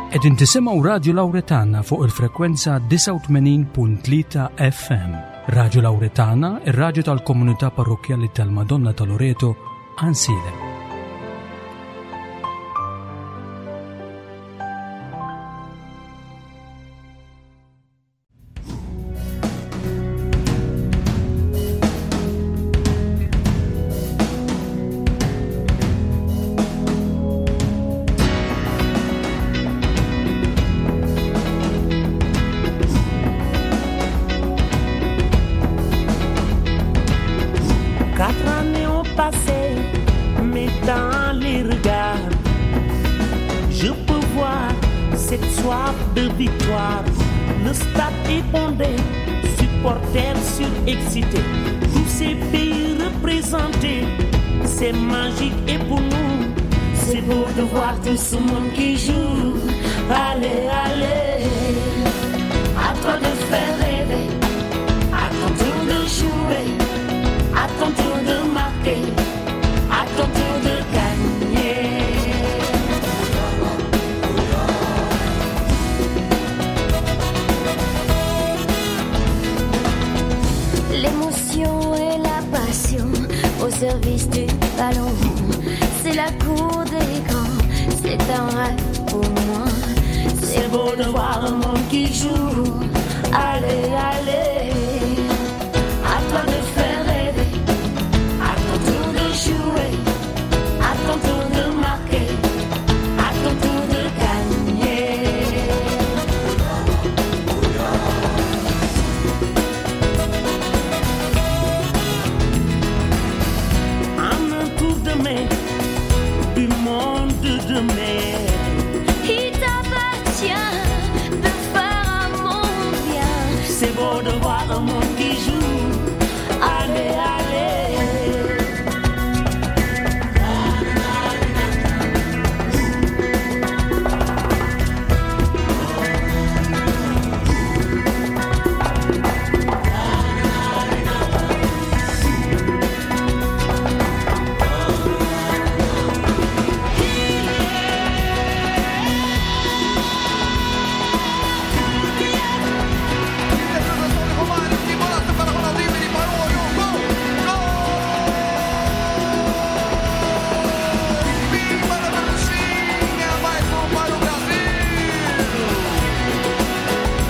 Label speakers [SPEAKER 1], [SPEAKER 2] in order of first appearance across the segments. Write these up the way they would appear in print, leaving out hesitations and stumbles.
[SPEAKER 1] Qegħdin tisimgħu Radju Lawretana fuq il-frekwenza 89.3 FM. Radju Lawretana, ir-radju tal-komunità parrokkjali tal-Madonna ta' Loreto, Ansiedem.
[SPEAKER 2] Quatre années ont passé, mais dans les regards, je peux voir cette soif de victoire. Le stade est bondé, supporters surexcités, tous ces pays représentés, c'est magique et pour nous, c'est beau de voir tout ce monde qui joue. Allez, allez, à toi de faire rêver, à ton tour de jouer, à ton tour de marquer, à ton tour de gagner.
[SPEAKER 3] L'émotion et la passion au service du ballon. C'est la cour des grands, c'est un rêve pour moi.
[SPEAKER 2] C'est beau de voir un monde qui joue. Allez, allez, à toi de faire rêver, à ton tour de jouer, à ton tour de marquer, à ton tour de gagner. En un tour de main, du monde de demain.
[SPEAKER 3] Il t'appartient de faire un monde bien.
[SPEAKER 2] C'est beau de voir un monde qui joue. Allez, allez.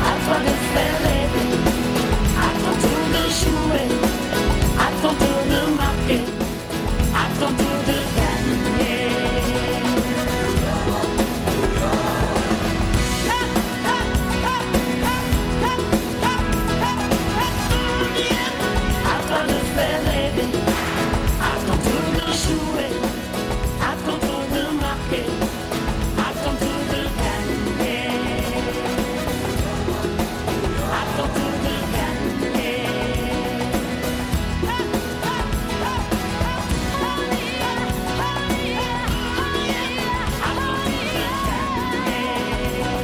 [SPEAKER 2] À toi de faire rêver, à ton tour de jouer, à ton tour de marquer, à ton tour de gagner. À toi de faire rêver, à ton tour de jouer, à ton tour de marquer, à ton tour de gagner. À ton tour de gagner. À ton tour de gagner.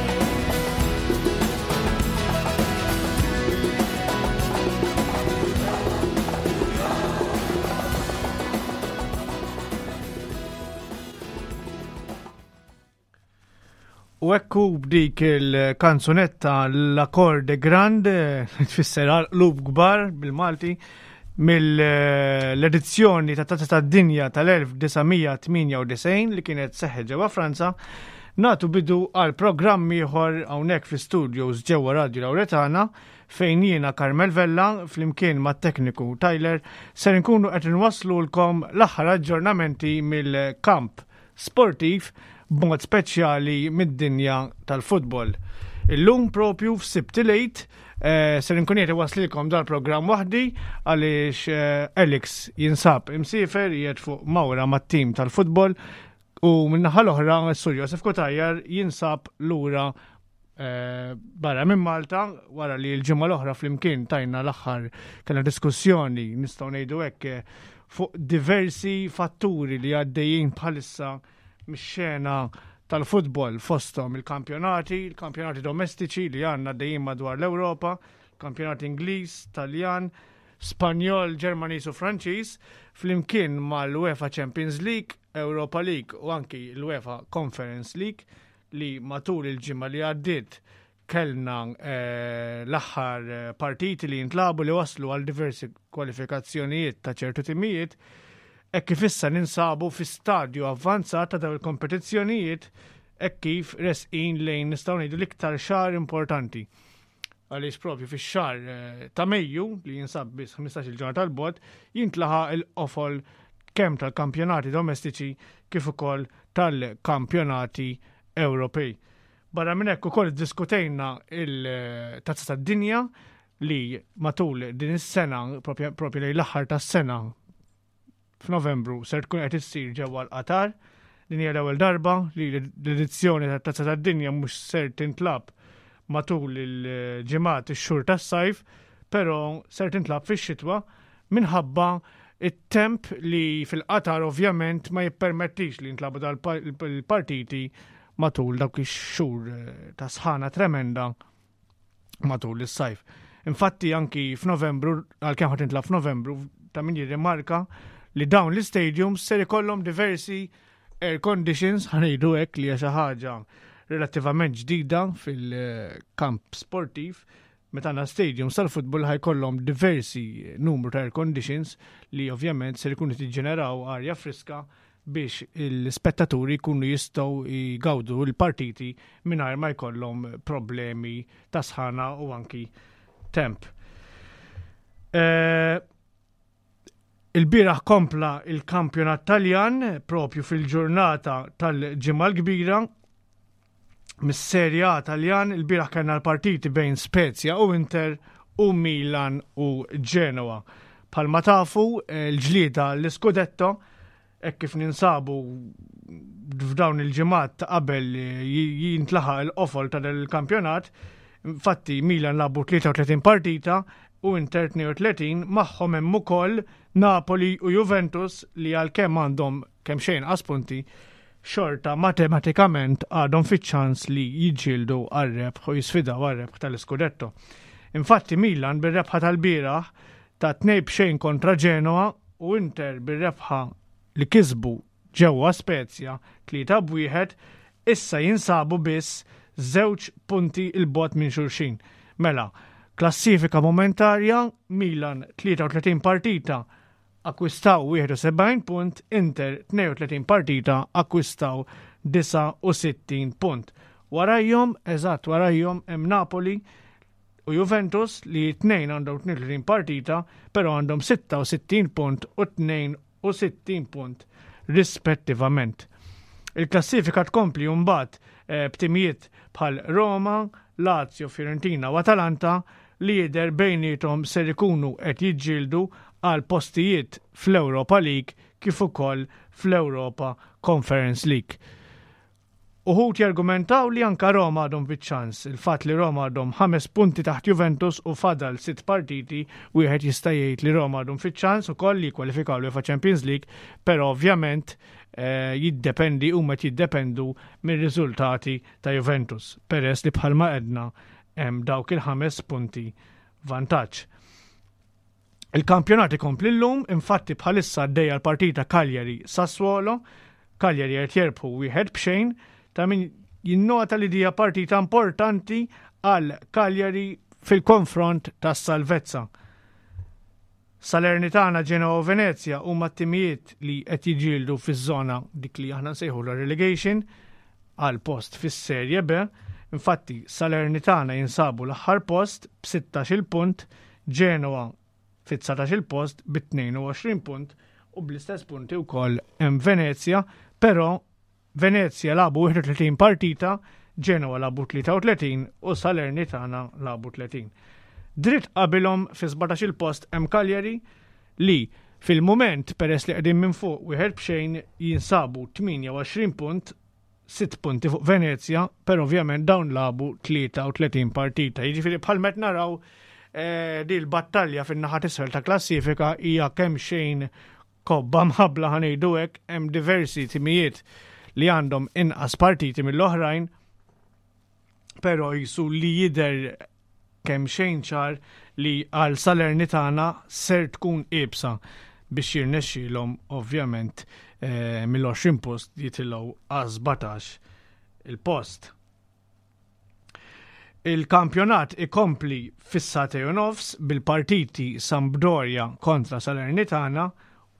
[SPEAKER 4] U ekku b'dik il-kanzunetta L-Akkorde Grande, tfisser għal-qlub kbar bil-Malti, mill-edizzjoni ta' Tazza tad-Dinja tal-1998 li kienet seħħet ġewwa Franza, natu bidu għal programm ieħor hawnhekk fl-studios ġewwa Radio Lauretana fejn jiena Carmel Vella flimkien mat-tekniku Tyler ser nkunu qed inwasslulkom l-aħħar aġġornamenti mill-kamp sportiv b'mod speċjali mid-dinja tal-futbol. Illum propju f'Sibt il-Għid eh, ser nkun qed iwasslilkom dal-programm waħdi għaliex eh, Alex jinsab imsiefer qiegħed fuq mawra mat-tim tal-futbol u min-naħa l-oħra s-Sur Josef Cutajar jinsab lura eh, barra minn Malta wara li l-ġimgħa l-oħra flimkien tajna l-aħħar kellna diskussjoni nistgħu ngħidu hekk eh, fuq diversi fatturi li għaddejjin bħalissa mix-xena tal-futbol fosthom il-kampjonati, il-kampjonati domestiċi li għandna għaddejjin madwar l-Ewropa, kampjonat Ingliż, Taljan, Spanjol, Ġermaniż u Franċiż, flimkien mal-UEFA Champions League, Europa League u anki l-UEFA Conference League. li matul il-ġimgħa li għaddiet kellna eh, l-aħħar eh, partiti li jintlabu li waslu għal diversi kwalifikazzjonijiet ta' ċertu timijiet, hekk kif issa ninsabu fi stadju avvanzat ta' dawn il-kompetizzjonijiet hekk kif resqin lejn nistgħu ngħidu l-iktar xahar importanti. Għaliex propju fix-xahar eh, ta' Mejju li jinsab biss 15-il ġurnata tal-bot jintlaħaq il-qofol kemm tal-kampjonati domestiċi kif ukoll tal-kampjonati Ewropej. Barra minn hekk ukoll iddiskutejna il-Tazza tad-Dinja li matul din is-sena, propju lejn l-aħħar tas-sena f'Novembru ser tkun qed issir ġewwa l-Qatar. Din hija l-ewwel darba li l-edizzjoni tat-Tazza tad-Dinja mhux ser tintlab matul il-ġimgħat ix-xhur tas-sajf, però ser tintlab fix-xitwa minħabba it-temp li fil-Qatar ovvjament ma jippermettix li jintlabu dal-partiti matul dawk ix-xhur eh, ta' sħana tremenda matul is-sajf. Infatti anki f'Novembru, għalkemm ħad tintlab f'Novembru, ta' min jirrimarka li dawn l-istadiums ser ikollhom diversi air conditions, ħanejdu hekk li hija xi ħaġa relattivament ġdida fil-kamp sportiv, meta għandna stadiums tal-futbol ħajkollhom diversi numru ta' air conditions li ovvjament ser ikunu tiġġeneraw arja friska biex l-spettaturi jkunu jistgħu jgawdu l-partiti mingħajr ma jkollhom problemi ta' sħana u anki temp. Eh, il-bieraħ kompla il-kampjonat Taljan propju fil-ġurnata tal-ġimgħa l-kbira mis-Serie A Taljan il-bieraħ kellna l-partiti bejn Spezia u Inter u Milan u Genoa. Palma tafu l-ġlieda l-Scudetto hekk kif ninsabu f'dawn il-ġimgħat ta' qabel jintlaħaq il-qofol ta' il-kampjonat, infatti Milan labu 33 partita u Inter 32 magħhom hemm ukoll Napoli u Juventus li għalkemm għandhom kemm xejn inqas punti xorta matematikament għadhom fiċ-ċans li jiġġieldu għar-rebħ u jisfidaw għar-rebħ tal-Iskudetto. Infatti Milan bir-rebħa tal-bieraħ ta' 2-0 kontra Genoa u Inter bir-rebħa li kisbu ġewwa Spezia 3-1 issa jinsabu biss żewġ punti 'l bogħod minn xulxin. Mela, klassifika momentarja, Milan 33 partita akkwistaw 71 punt, Inter 32 partita akkwistaw 69 punt. Warajhom, eżatt warajhom hemm Napoli u Juventus li t-tnejn għandhom 32 partita, però għandhom 66 punt u 62 punt rispettivament. Il-klassifika tkompli mbagħad eh, b'timijiet bħal Roma, Lazio, Fiorentina u Atalanta li jidher bejniethom ser ikunu qed jiġġieldu għal postijiet fl-Europa League kif ukoll fl-Europa Conference League. Uħud jargumentaw li anka Roma għadhom fiċ-ċans. Il-fatt li Roma għadhom ħames punti taħt Juventus u fadal sitt partiti, wieħed jista' jgħid li Roma għadhom fiċ-ċans ukoll li jikkwalifikaw l-UEFA Champions League, però ovvjament eh, jiddependi huma qed jiddependu mir-riżultati ta' Juventus, peress li bħalma għedna hemm dawk il-ħames punti vantaġġ. Il-kampjonat ikompli llum, infatti bħalissa għaddejja l-partita Cagliari Sassuolo, Cagliari qed jerbħu wieħed b'xejn, ta' min jinnota li dija partita importanti għal Cagliari fil-konfront tas-salvezza. Salernitana, Genoa u Venezia huma t-timijiet li qed jiġġieldu fiż-żona dik li aħna nsejħulha relegation għal post fis-Serie B. Infatti Salernitana jinsabu l-aħħar post b'16-il punt, Genoa fit-19-il post bi 22 punt u bl-istess punti wkoll hemm Venezia, però Venezia lagħbu 31 partita, Genoa lagħbu 33 u Salernitana lagħbu 30. Dritt qabilhom fi 17-il post hemm Cagliari li fil-mument peress li qegħdin minn fuq wieħed b'xejn jinsabu 28 punt, 6 punti fuq Venezia, però ovvjament dawn lagħbu 33 partita. Jiġifieri bħal met naraw eh, di l-battalja fin-naħa t'isfel ta' klassifika hija kemm xejn kobba mħabbla ħa ngħidu hekk, hemm diversi timijiet li għandhom inqas partiti mill-oħrajn, però jisu li jidher kemm xejn ċar li għal Salernitana ser tkun iebsa biex jirnexxielhom ovvjament eh, mill-20 post jitilgħu għal 17 il-post. Il-kampjonat ikompli fis-sagħtejn u nofs bil-partiti Sampdoria kontra Salernitana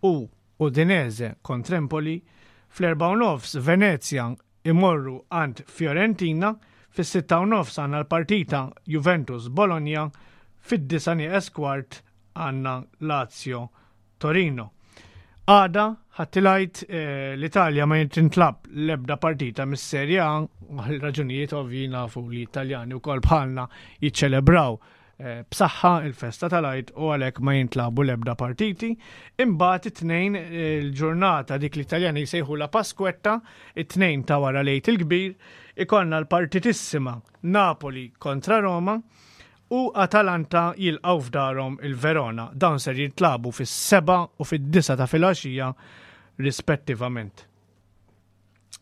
[SPEAKER 4] u Udinese kontra Empoli. Fl-erbgħa u nofs Venezia imorru għand Fiorentina, fis-sitta u nofs għandna l-partita Juventus Bologna, fid-disgħa nieqes kwart għandna Lazio Torino. Għada, Ħadd il-Għid, eh, l-Italja ma jintintlab l-ebda partita mis-Serie A, għal raġunijiet ovvji nafu li Italjani wkoll bħalna jiċċelebraw eh, b'saħħa il-festa tal-Għid u għalhekk ma jintlabu l-ebda partiti. Imbagħad it-tnejn eh, il-ġurnata dik l-Italjani jsejħu la Pasquetta, it-tnejn ta' wara l-Għid il-kbir, ikollna l-partitissima Napoli kontra Roma, u Atalanta jilqgħu f'darhom il-Verona. Dawn ser jintlagħbu fis-sebgħa u fid-disgħa ta' filgħaxija rispettivament.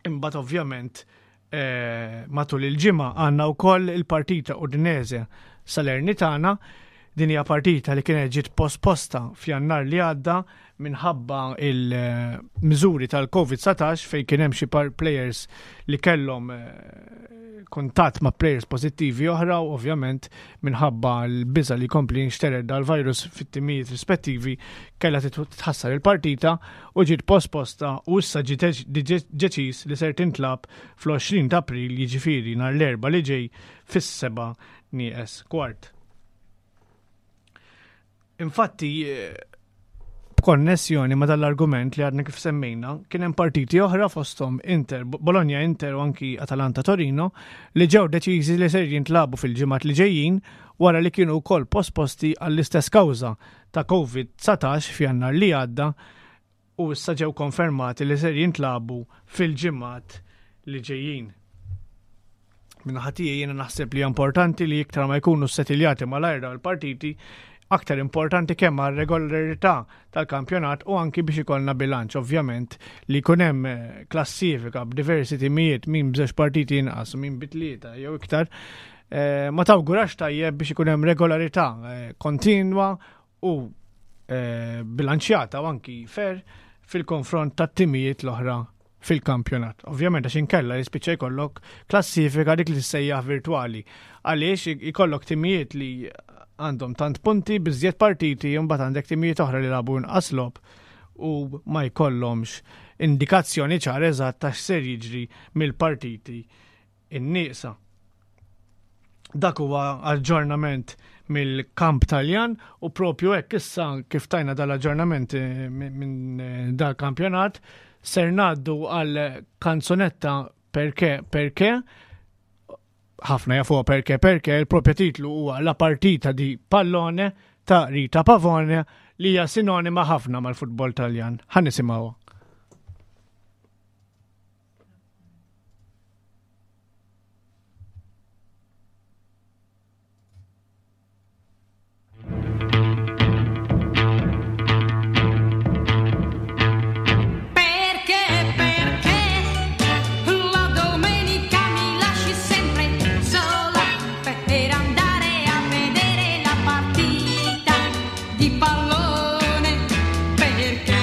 [SPEAKER 4] Imbagħad ovvjament eh, matul il-ġimgħa għandna wkoll il-partita Udinese Salernitana. Din hija partita li kienet ġiet posposta f'Jannar li għadda minħabba il-miżuri tal-Covid-19 fejn kien hemm xi players li kellhom eh, kuntatt ma' players pożittivi oħra u ovvjament minħabba l-biża li jkompli jinxtered dal-virus fit-timijiet rispettivi kellha titħassar il-partita u ġiet posposta u issa ġie deċiż li ser tintlagħab fl-20 ta' April jiġifieri nhar l-Erbgħa li ġej fis-seba' nieqes kwart. Infatti, b'konnessjoni ma' dal-argument li għadna kif semmejna, kien hemm partiti oħra fosthom Inter, Bologna Inter u anki Atalanta Torino li ġew deċiżi li ser jintlabu fil-ġimgħat li ġejjin wara li kienu wkoll posposti għall-istess kawża ta' Covid-19 f'Jannar li għadda u issa ġew konfermati li ser jintlagħbu fil-ġimgħat li ġejjin. Min-naħa tiegħi jiena naħseb li importanti li iktar ma jkunu ssetiljati malajr dawn il-partiti, aktar importanti kemm għal regolarità tal-kampjonat u anki biex ikollna bilanċ ovvjament li jkun hemm eh, klassifika b'diversi timijiet min b'żewġ partiti inqas u min bi tlieta jew iktar eh, ma tawgurax tajjeb biex ikun hemm regolarità eh, kontinwa u eh, bilanċjata u anki fair fil-konfront tat-timijiet l-oħra fil-kampjonat. Ovvjament għax inkella jispiċċa jkollok klassifika dik li tissejjaħ virtwali. Għaliex jkollok timijiet li għandhom tant punti biżjed partiti u mbagħad għandek timijiet oħra li labu inqas logħob u ma jkollhomx indikazzjoni ċara eżatt ta' x'ser jiġri mill-partiti in-nieqsa. Dak huwa aġġornament mill-kamp Taljan u propju hekk issa kif tajna dal-aġġornament eh, minn eh, dal-kampjonat ser ngħaddu għal kanzunetta perché perché ħafna jafuha perché perché il-propja titlu huwa La partita di pallone ta' Rita Pavone li hija sinonima ħafna mal-futbol Taljan. Ħa nisimgħuha.
[SPEAKER 5] Perché, perché la domenica mi lasci sempre sola per andare a vedere la partita di pallone? Perché?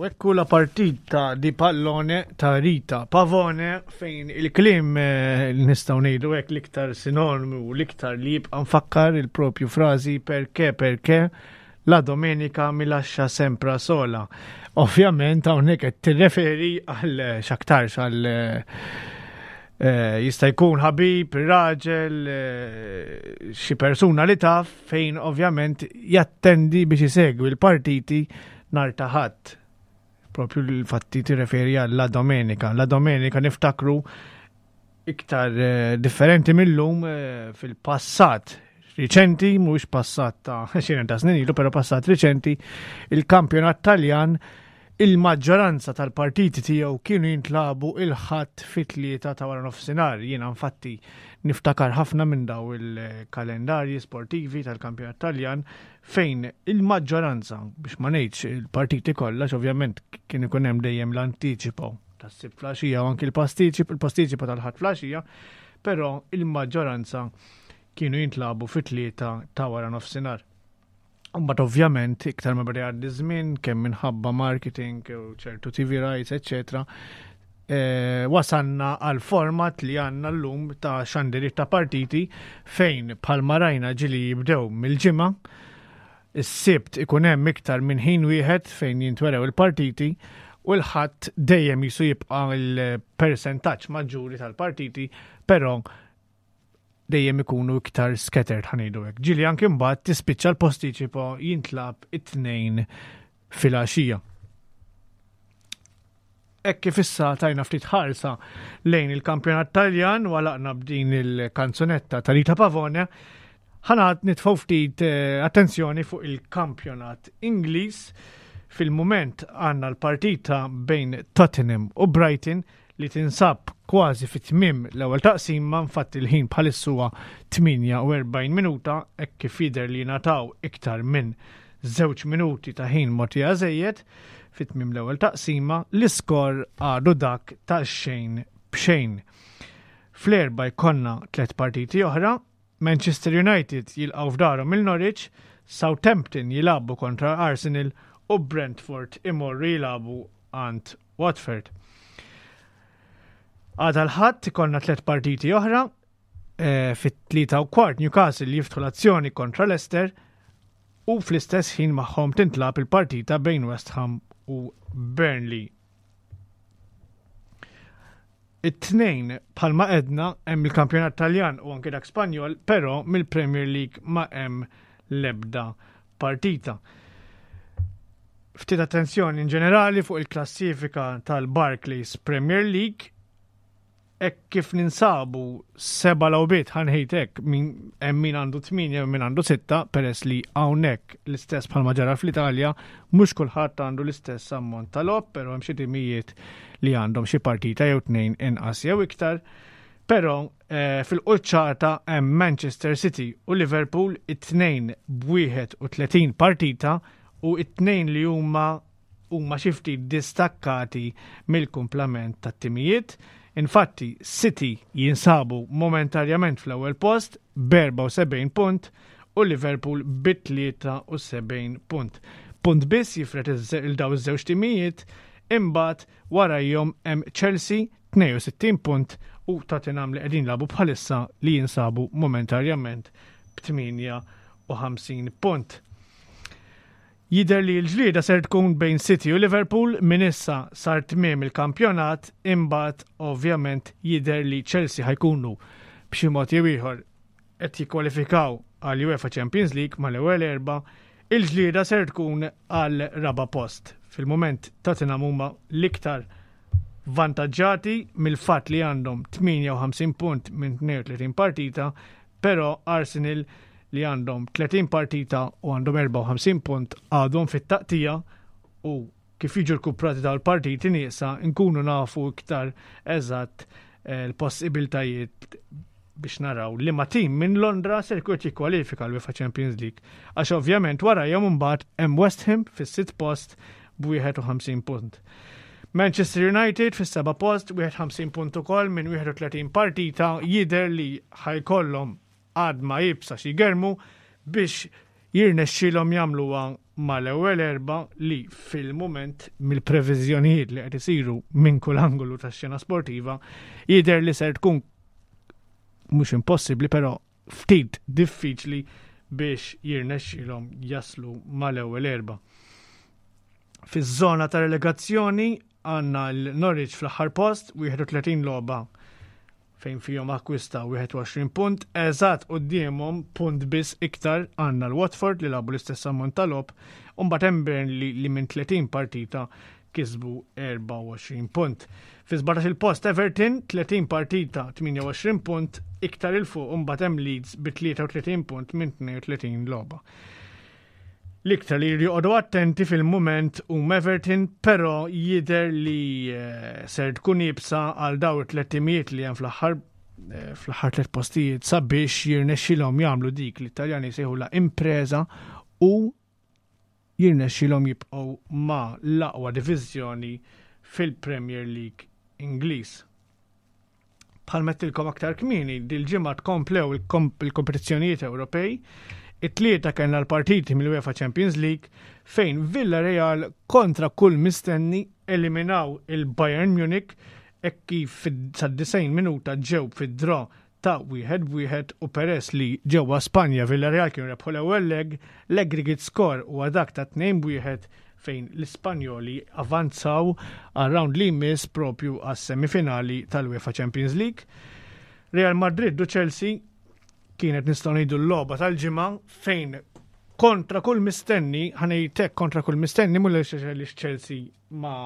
[SPEAKER 4] U ekku la partita di pallone ta' Rita Pavone fejn il-klim eh, li nistgħu ngħidu hekk l-iktar sinonimu u l-iktar li jibqa' nfakkar il-propju frażi perché perché la domenica mi lascia sempre sola. Ovvjament hawnhekk qed tirreferi għal x'aktarx għal eh, jista' jkun ħabib, raġel, eh, xi persuna li taf fejn ovvjament jattendi biex isegwi l-partiti nhar ta' Ħadd. Propju l-fatti tirreferi għal la Domenica. La Domenica niftakru iktar eh, differenti mill-lum eh, fil-passat riċenti, mhux passat ta' xiren ta' snin ilu, però passat riċenti, il-kampjonat Taljan il-maġġoranza tal-partiti tiegħu kienu jintlabu il-ħadd fit-tlieta ta' wara nofsinhar. Jiena infatti niftakar ħafna minn daw il-kalendarji sportivi tal-kampjonat Taljan fejn il-maġġoranza, biex ma ngħidx il-partiti kollha, ovvjament kien ikun hemm dejjem l-antiċipo tas-sibt flaxija u anki l-pastiċip, il-pastiċipo tal-ħadd flaxija, però il-maġġoranza kienu jintlabu fit-tlieta ta' wara nofsinhar. Mbagħad ovvjament iktar ma beda jgħaddi żmien kemm minħabba marketing u ċertu TV rights, eċċetera, eh, wasanna għal format li għanna l-lum ta' xandiriet ta' partiti fejn bħalma rajna ġili jibdew mill-ġimgħa is-sibt ikun hemm iktar minn ħin wieħed fejn jintwerew il-partiti u l-ħadd dejjem jisu jibqa' il-persentaġġ maġġuri tal-partiti, però dejjem ikunu iktar scattered ħanejdu hekk. Ġieli anke mbagħad tispiċċa l-postiċipo jintlab it-tnejn filgħaxija. Hekk kif issa tajna ftit ħarsa lejn il-kampjonat Taljan u għalaqna b'din il-kanzunetta ta' Rita Pavone, ħanat nitfgħu ftit eh, attenzjoni fuq il-kampjonat Ingliż. Fil-mument għandna l-partita bejn Tottenham u Brighton li tinsab kważi fit tmiem l-ewwel taqsima, infatti l-ħin bħalissa huwa 48 minuta hekk kif jidher li ngħataw iktar minn żewġ minuti ta' ħin mogħtija żejjed fi tmiem l-ewwel taqsima, l-iskor għadu dak ta' xejn b'xejn. Fl-erba jkollna tliet partiti oħra, Manchester United jilqgħu f'darhom il Norwich, Southampton jilagħbu kontra Arsenal u Brentford imorru jilagħbu għand Watford. Għada l-ħadd ikollna tliet partiti oħra, eh, fit-3 u kwart Newcastle jiftħu l-azzjoni kontra Leicester u fl-istess ħin magħhom tintlab il-partita bejn West Ham u Burnley. It-tnejn bħalma edna hemm il-kampjonat Taljan u anke dak Spanjol, però mill-Premier League ma hemm l-ebda partita. Ftit attenzjoni in ġenerali fuq il-klassifika tal-Barclays Premier League Hekk kif ninsabu seba' logħbiet ħa ngħid hekk min hemm min għandu tmienja u min għandu sitta peress li hawnhekk l-istess bħalma ġara fl-Italja mhux kulħadd għandu l-istess ammont ta' logħob però hemm xi timijiet li għandhom xi partita jew tnejn inqas jew iktar. Però eh, fil-quċċata hemm Manchester City u Liverpool it-tnejn b'31 partita u it-tnejn li huma huma xi ftit distakkati mill-kumplament tat-timijiet. Infatti, City jinsabu momentarjament fl-ewwel post b'74 punt u Liverpool bi 73 punt. Punt biss jifred il daw iż-żewġ timijiet, imbagħad warajhom hemm Chelsea 62 punt u Tottenham li qegħdin jilagħbu bħalissa li jinsabu momentarjament b'58 punt. Jidher li l-ġlieda ser tkun bejn City u Liverpool minn issa sar tmiem il-kampjonat imbagħad ovvjament jidher li Chelsea ħa jkunu b'xi mod jew ieħor qed jikkwalifikaw għal UEFA Champions League mal-ewwel erba' il-ġlieda ser tkun għal raba' post. Fil-mument Tottenham huma l-iktar vantaġġati mill-fatt li għandhom 58 punt minn 32 partita, però Arsenal li għandhom 30 partita u għandhom 54 punt għadhom fit-taqtija u kif jiġu rkuprati dawn il-partiti nieqsa nkunu nafu iktar eżatt eh, l-possibiltajiet biex naraw li ma tim minn Londra ser jkun jikkwalifika l-UEFA Champions League. Għax ovvjament wara jom imbagħad hemm West Ham fis-sitt post b'51 punt. Manchester United fis-seba' post 51 punt ukoll minn 31 partita jidher li ħajkollhom għadma iebsa xi jgermu biex jirnexxilhom jagħmluha mal-ewwel erbgħa li fil-mument mill-previżjonijiet li qed isiru minn kull angolu tax-xena sportiva jidher li ser tkun mhux impossibbli però ftit diffiċli biex jirnexxilhom jaslu mal-ewwel erbgħa. Fiż-żona ta' relegazzjoni għandna l-Norwich fl-aħħar post, 31 logħba fejn fihom akkwista 21 punt, eżatt quddiemhom punt biss iktar għandna l-Watford li lagħbu l-istess ammont ta' logħob, u mbagħad hemm Burnley li minn 30 partita kisbu 24 punt. Fi 17 il-post Everton 30 partita 28 punt, iktar il fuq mbagħad hemm Leeds bi 33 punt minn 32 logħba. L-iktar li jridu joqogħdu attenti fil-mument huma Everton, però jidher li eh, ser tkun iebsa għal daw it-tliet timijiet li hemm fl-aħħar eh, fl-aħħar tliet postijiet sabiex jirnexxilhom jagħmlu dik li t-Taljani jsejħula impreza u jirnexxilhom jibqgħu ma' l-aqwa diviżjoni fil-Premier League Ingliż. Bħal mettilkom aktar kmieni, dil-ġimgħa tkomplew il-kompetizzjonijiet Ewropej. It-tlieta kellna l-partiti mill-UEFA Champions League fejn Villarreal kontra kull mistenni eliminaw il-Bayern Munich hekk kif sad-90 minuta ġew fid-draw ta' wieħed b'wieħed u peress li ġewwa Spanja Villarreal kienu rebħu l-ewwel leg, l-aggregate score huwa dak ta' 2-1 fejn l-Ispanjoli avanzaw għar-round li jmiss propju għas-semifinali tal-UEFA Champions League. Real Madrid u Chelsea kienet nistgħu ngħidu l-logħba tal-ġimgħa fejn kontra kull mistenni, ħanejtek kontra kull mistenni mhux li Chelsea ma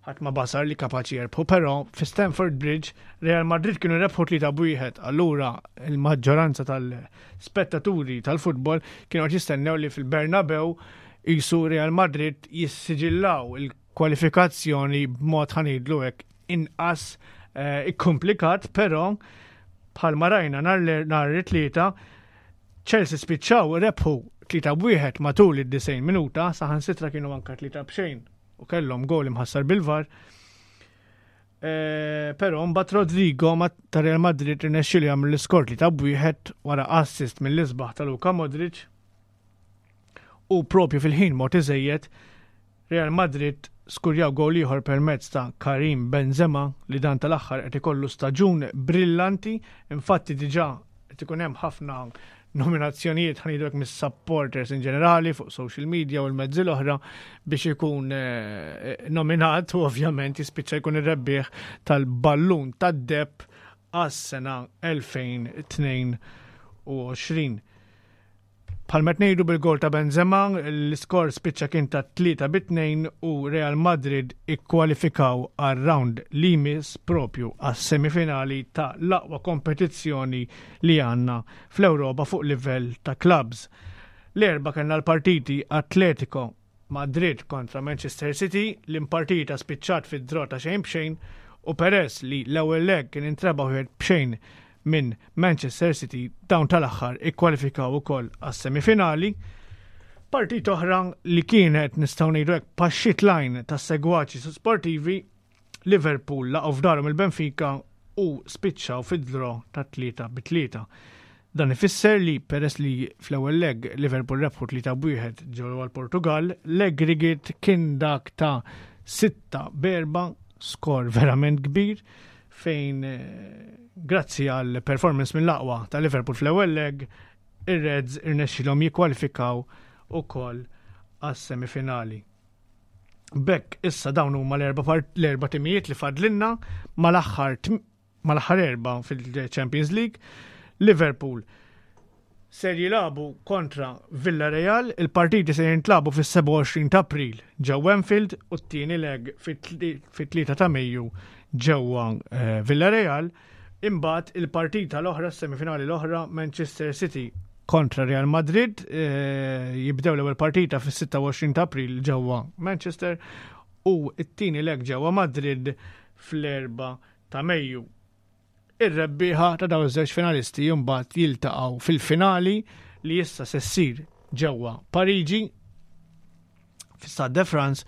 [SPEAKER 4] Ħadd ma basar li kapaċi jerbħu, però fi Stamford Bridge Real Madrid kienu rebħu 3-1, allura il-maġġoranza tal-spettaturi tal-futbol kienu qed jistennew li fil-Bernabeu jisu Real Madrid jissiġillaw il-kwalifikazzjoni b'mod ħanidlu hekk inqas eh, ikkomplikat, però bħalma rajna nhar it-tlieta Chelsea spiċċaw rebħu 3-1 matul id-90 minuta, saħansitra kienu anka 3 b'xejn u kellhom gol imħassar bil-VAR. Eh, però mbagħad Rodrigo ma ta' Real Madrid irnexxielu jagħmel l-iskor li ta' wieħed wara assist mill-isbaħ ta' Luka Modric. U propju fil-ħin mod iżejjed Real Madrid skurjaw gol ieħor permezz ta' Karim Benzema li dan tal-aħħar qed ikollu staġun brillanti, infatti diġà qed ikun hemm ħafna nominazzjonijiet ħanidrek mis-supporters in ġenerali fuq social media u l-mezzi l-oħra biex ikun eh, nominat u ovvjament jispiċċa jkun ir-rebbieħ tal-ballun tad-deb għas-sena 2022. Bħalma qed ngħidu bil-gol ta' Benzema, l-iskor spiċċa kien ta' 3 bi 2 u Real Madrid ikkwalifikaw għar-round li jmiss propju għas-semifinali ta' l-aqwa kompetizzjoni li għandna fl-Ewropa fuq livell ta' clubs. L-Erbgħa kellna l-partiti Atletico Madrid kontra Manchester City, l-impartita spiċċat fi draw ta' xejn b'xejn u peress li l-ewwel leg kien intrebaħ wieħed b'xejn minn Manchester City dawn tal-aħħar ikkwalifikaw ukoll għas-semifinali. Partita oħra li kienet nistgħu ngħidu hekk paxxit lajn tas-segwaċi sportivi Liverpool laqgħu f'darhom il-Benfica u spiċċaw fi draw ta' 3 bi 3. Dan ifisser li peress li fl-ewwel leg Liverpool rebħu 3 b'wieħed ġewwa l-Portugal, l-aggregate kien dak ta' 6 b'erba' skor verament kbir fejn eh, grazzi għal performance mill-aqwa ta' Liverpool fl-ewwel leg, ir-Reds irnexxilhom jikkwalifikaw ukoll għas-semifinali. Bekk issa dawn huma l-erba' l-erba' timijiet li fadlinna mal-aħħar mal-aħħar erba' fil-Champions League. Liverpool ser jilagħbu kontra Villarreal, il-partiti se jintlabu fis-27 ta' April ġewwa Anfield u t-tieni leg fit-3 ta' Mejju ġewwa eh, Villarreal. Imbagħad il-partita l-oħra, semifinali l-oħra, Manchester City kontra Real Madrid, eh, jibdew l-ewwel partita fis-26 ta' April ġewwa Manchester u t-tieni leg ġewwa Madrid fl-4 ta' Mejju. Ir-rebbieħa ta' dawn iż-żewġ finalisti mbagħad jiltaqgħu fil-finali li issa se ssir ġewwa Pariġi fi Stade de France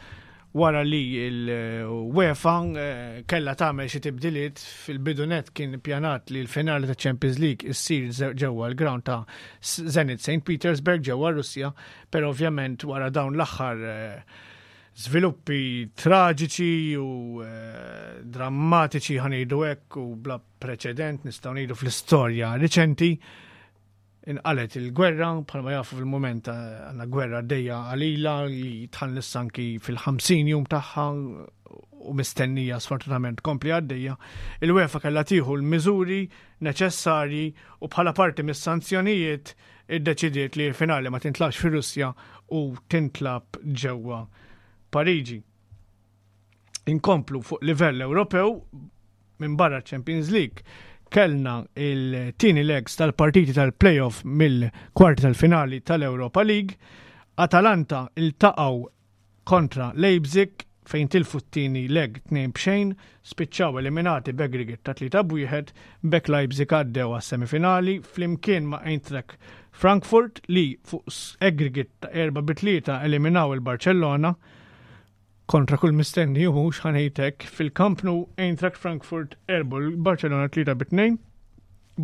[SPEAKER 4] wara li l-UEFA eh, kellha tagħmel xi tibdiliet fil-bidu net kien ippjanat li l-finali ta' Champions League issir ġewwa l-ground ta' Zenit St. Petersburg ġewwa Russja, però ovvjament wara dawn l-aħħar eh, żviluppi traġiċi u eh, drammatiċi ħanejdu hekk u bla preċedent nistgħu ngħidu fl-istorja riċenti Inqalgħet il-gwerra, bħalma jafu fil-mument għandna gwerra għaddejja qalila li tħallis anki fil-50 jum tagħha u mistennija sfortunatament tkompli għaddejja. Il-UEFA kellha tieħu l-miżuri neċessarji u bħala parti mis-sanzjonijiet iddeċidiet li l-finali ma tintlabx fir-Russja u tintlab ġewwa Pariġi. Inkomplu fuq livell Ewropew minn barra Champions League kellna il-tieni legs tal-partiti tal-playoff mill-kwarti tal-finali tal-Europa League. Atalanta iltaqgħu kontra Leipzig fejn tilfu t-tieni leg 2 b'xejn, spiċċaw eliminati b'aggregate ta' 3 b'wieħed, b'hekk Leipzig għaddew għas-semifinali flimkien ma' Eintracht Frankfurt li fuq aggregate ta' 4 bi 3 eliminaw il-Barcellona. Kontra kull mistenni u mhux ħa ngħid hekk, fil-Camp Nou Eintracht Frankfurt għelbu l-Barcelona 3 bi 2.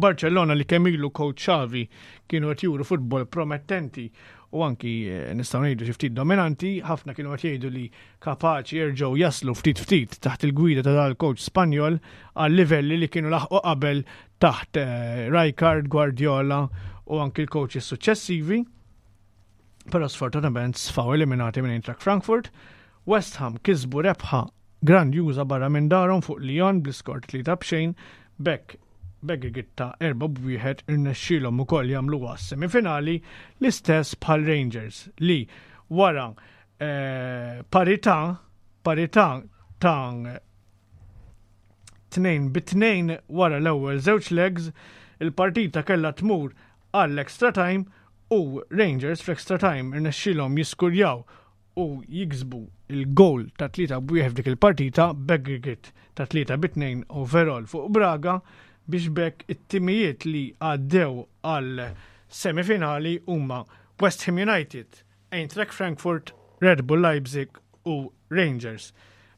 [SPEAKER 4] Barcellona li kemm ilu coach Xavi kienu qed juru futbol promettenti u anki eh, nistgħu ngħidu xi ftit dominanti, ħafna kienu qed jgħidu li kapaċi jerġgħu jaslu ftit ftit taħt il-gwida ta' dal-coach Spanjol għal livelli li kienu laħqu qabel taħt eh, Rijkaard, Guardiola u anki l-coaches suċċessivi. Però sfortunatament sfaw eliminati minn Eintracht Frankfurt. West Ham kisbu rebħa grandjuża barra minn darhom fuq Lyon bl-iskor 3 b'xejn b'hekk b'aggregate ta' 4 b'wieħed irnexxielhom ukoll jagħmluha semifinali l-istess bħal Rangers li wara eh, parità parità ta' 2 bi 2 wara l-ewwel żewġ legs il-partita kellha tmur għall-extra time u Rangers fl-extra time irnexxielhom jiskurjaw u jiksbu il-goal ta' 3 b'wieħed f'dik il-partita b'aggregate ta' 3 bi 2 overall fuq Braga biex b'hekk it-timijiet li għaddew għal semifinali huma West Ham United, Eintracht Frankfurt, Red Bull Leipzig u Rangers.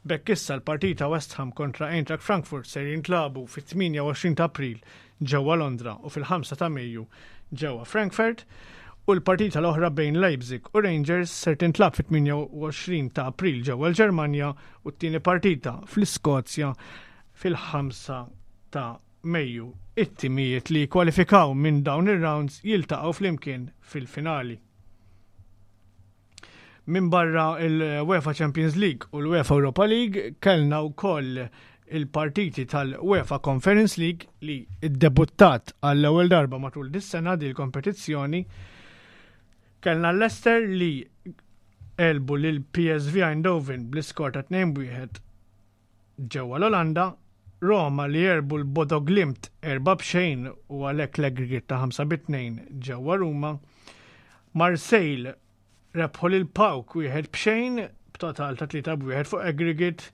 [SPEAKER 4] B'hekk issa l-partita West Ham kontra Eintracht Frankfurt ser jintlagħbu fit-28 ta' April ġewwa Londra u fil-5 ta' Mejju ġewwa Frankfurt u l-partita l-oħra bejn Leipzig u Rangers ser tintlagħab fit-28 ta' April ġewwa l-Ġermanja u t-tieni partita fl-Iskozja fil-5 ta' Mejju. It-timijiet li jikkwalifikaw minn dawn ir-rounds jiltaqgħu flimkien fil-finali. Minbarra l-UEFA Champions League u l-UEFA Europa League, kellna wkoll il-partiti tal-UEFA Conference League li ddebuttat għall-ewwel darba matul dis-sena din il-kompetizzjoni. Kellna Leicester li għelbu lil PSV Eindhoven bl-iskor ta' 2-1 ġewwa l-Olanda, Roma li għelbu l-Bodo Glimt 4-0 u għalhekk l-aggregate ta' 5-2 ġewwa Ruma. Marseille rebħu lil PAOK 1-0 b'total ta' 3-1 fuq aggregate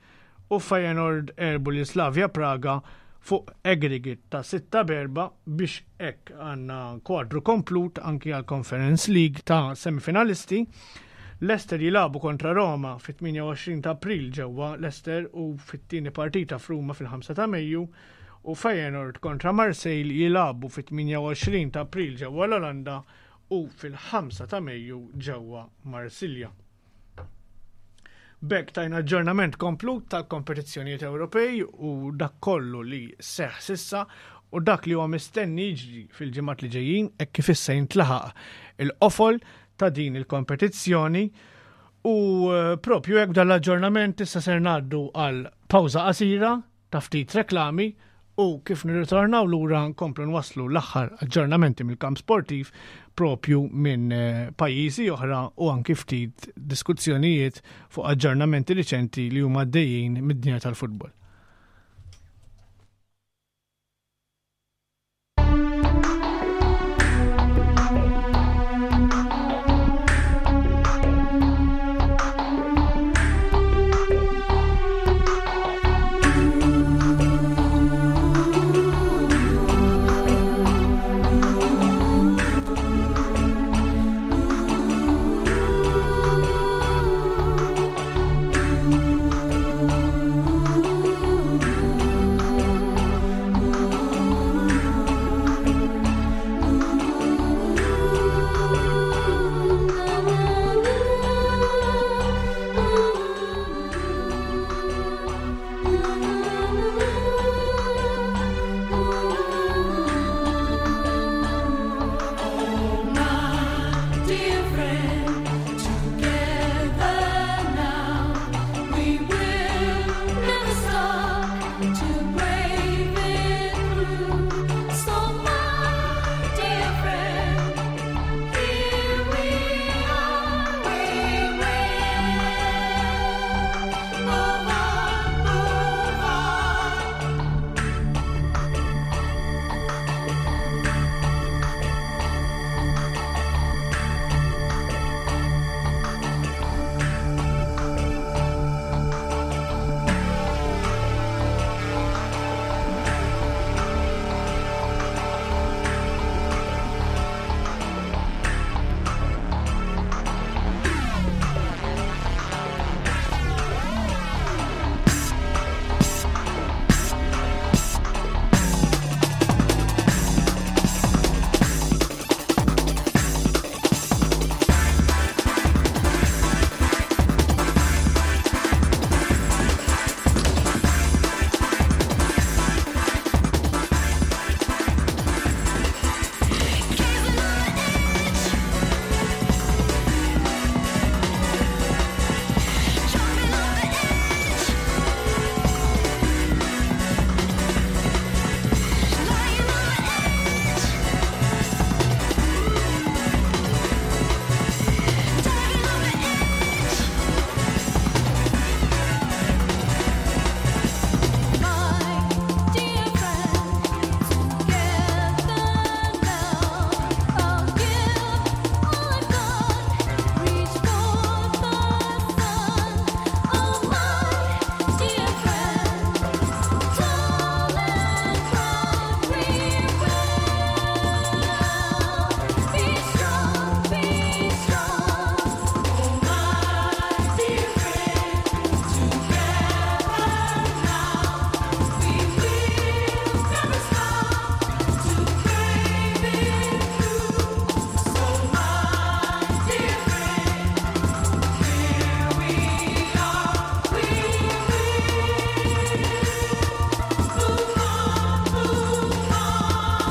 [SPEAKER 4] u Feyenoord għelbu lil Slavia Praga fuq aggregate ta' 6-4 biex hekk għandna kwadru komplut anki għal Conference League ta' semifinalisti. Leicester jilagħbu kontra Roma fit-28 ta' April ġewwa Leicester u fit-tieni partita f'Ruma fil-5 ta' Mejju u Feyenoord kontra Marseille jilagħbu fit-28 ta' April ġewwa l-Olanda u fil-5 ta' Mejju ġewwa Marsilja. B'hekk tajna aġġornament komplut tal-kompetizzjonijiet Ewropej u dak kollu li seħħ sissa u dak li huwa mistenni jiġri fil-ġimgħat li ġejjin hekk kif issa jintlaħaq il-qofol ta' din il-kompetizzjoni u eh, propju hekk dan l-aġġornament issa ser ngħaddu għal pawża qasira ta' ftit reklami u kif nirritornaw lura nkomplu nwasslu l-aħħar aġġornamenti mill-kamp sportiv propju minn eh, pajjiżi oħra u anki ftit diskuzzjonijiet fuq aġġornamenti riċenti li huma għaddejjin mid-dinja tal-futbol.
[SPEAKER 5] dear friend, together now, we will never stop to brave it through. So my dear friend, here we are, we will move on, move on. My dear friend, together now, I'll give all I've got, reach for the sun. Oh, my dear friend, tall and proud we will be strong, be strong. Oh, my dear friend, together now. We will never stop to brave it through. So my dear friend, here we are. We will move on, move on. Be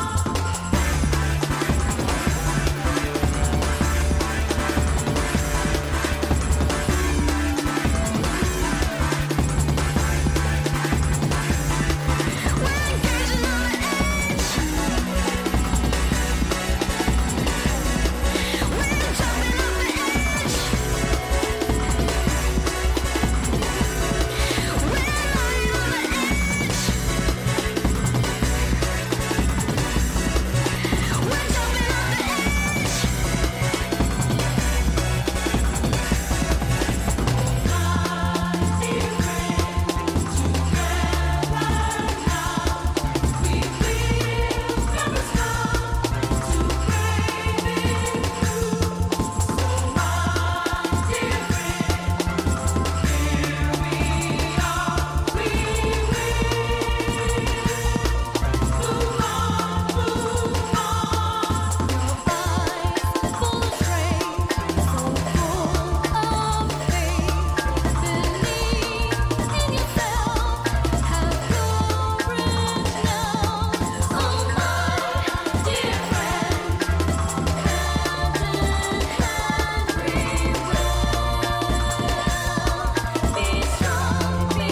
[SPEAKER 5] strong, be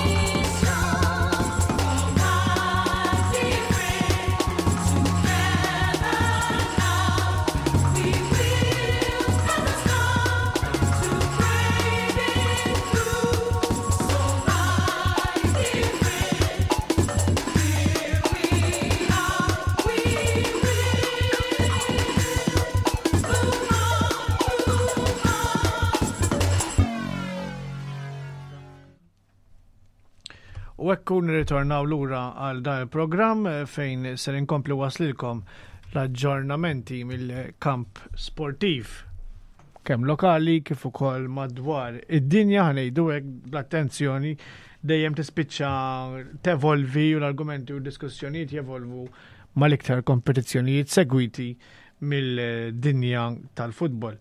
[SPEAKER 5] strong. Oh, my dear friend, together now, we will never stop to brave it through. So, my dear friend, here we are, we will move on, move on.
[SPEAKER 4] U hekk kun nirritornaw lura għal dan il-programm eh, fejn ser inkompli waslilkom l-aġġornamenti mill-kamp sportiv kemm lokali kif ukoll madwar id-dinja ħanejdu hekk bl-attenzjoni dejjem tispiċċa tevolvi u l-argumenti u d-diskussjonijiet jevolvu mal-iktar kompetizzjonijiet segwiti mill-dinja tal-futbol.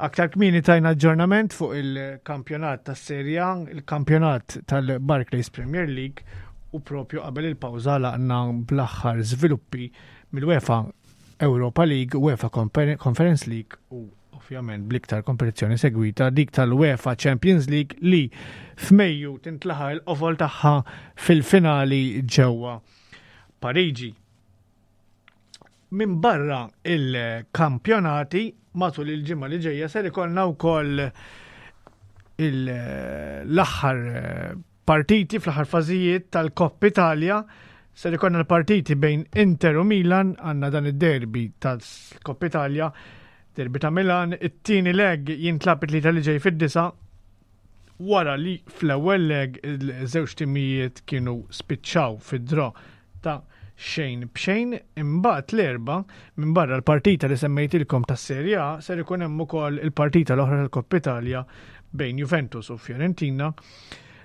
[SPEAKER 4] Aktar kmieni tajna aġġornament fuq il-kampjonat tas-Serie A, il-kampjonat tal-Barclays Premier League u propju qabel il-pawża laqna bl-aħħar żviluppi mill-UEFA Europa League, UEFA Conference League u ovvjament bl-iktar kompetizzjoni segwita dik tal-UEFA Champions League li f'Mejju tintlaħa l-qofol tagħha fil-finali ġewwa Pariġi. Minn barra il-kampjonati matul il-ġimgħa li ġejja ser ikollna wkoll l-aħħar eh, partiti fl-aħħar fażijiet tal-Coppa Italia ser ikollna l-partiti bejn Inter u Milan għandna dan id-derby tal-Coppa Italia derby ta' Milan, it-tieni leg jintlab it-tlieta li ġej fid-disa wara li fl-ewwel leg il-żewġ timijiet kienu spiċċaw fid-draw ta' xejn b'xejn, imbagħad l-Erbgħa, minbarra l-partita li semmejtilkom tas-Serie A, ser ikun hemm ukoll il-partita l-oħra tal-Coppa Italia bejn Juventus u Fiorentina.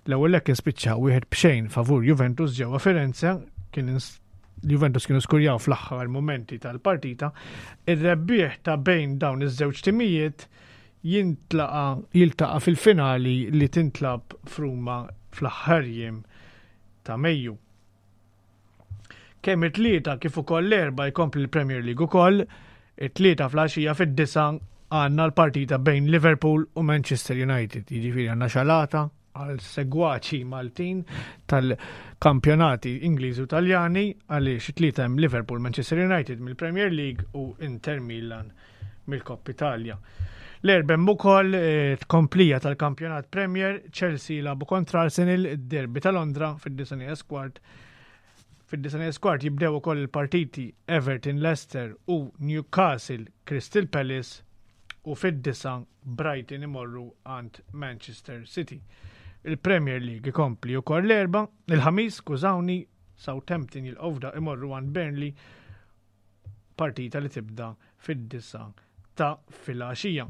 [SPEAKER 4] L-ewwel leg kien spiċċa wieħed b'xejn favur Juventus ġewwa Firenze, kien Juventus kienu skurjaw fl-aħħar momenti tal-partita. Ir-rebbieħ ta' bejn dawn iż-żewġ timijiet jintlaqa jiltaqa' fil-finali li tintlab f'Ruma fl-aħħar jiem ta' Mejju. Kemm it-Tlieta kif ukoll l-Erbgħa jkompli l-Premier League ukoll. It-Tlieta fl-għaxija fid-disgħa għandna l-partita bejn Liverpool u Manchester United. Jiġifieri għandna xalata għal segwaċi Maltin tal-kampjonati Ingliżi u Taljani għaliex it-Tlieta hemm Liverpool Manchester United mill-Premier League u Inter Milan mill-Coppa Italia. L-Erbgħa hemm ukoll eh, tkomplija tal-kampjonat Premier, Chelsea jilagħbu kontra Arsenal, id-derby ta' Londra fid-disa' kwart. Fid-disa' kwart jibdew ukoll il-partiti Everton Leicester u Newcastle Crystal Palace u fid-disa' Brighton imorru għand Manchester City. Il-Premier League ikompli ukoll l-Erbgħa, il-Ħamis, skużawni, Southampton jilqgħu imorru għand Burnley partita li tibda fid-disa ta' filgħaxija.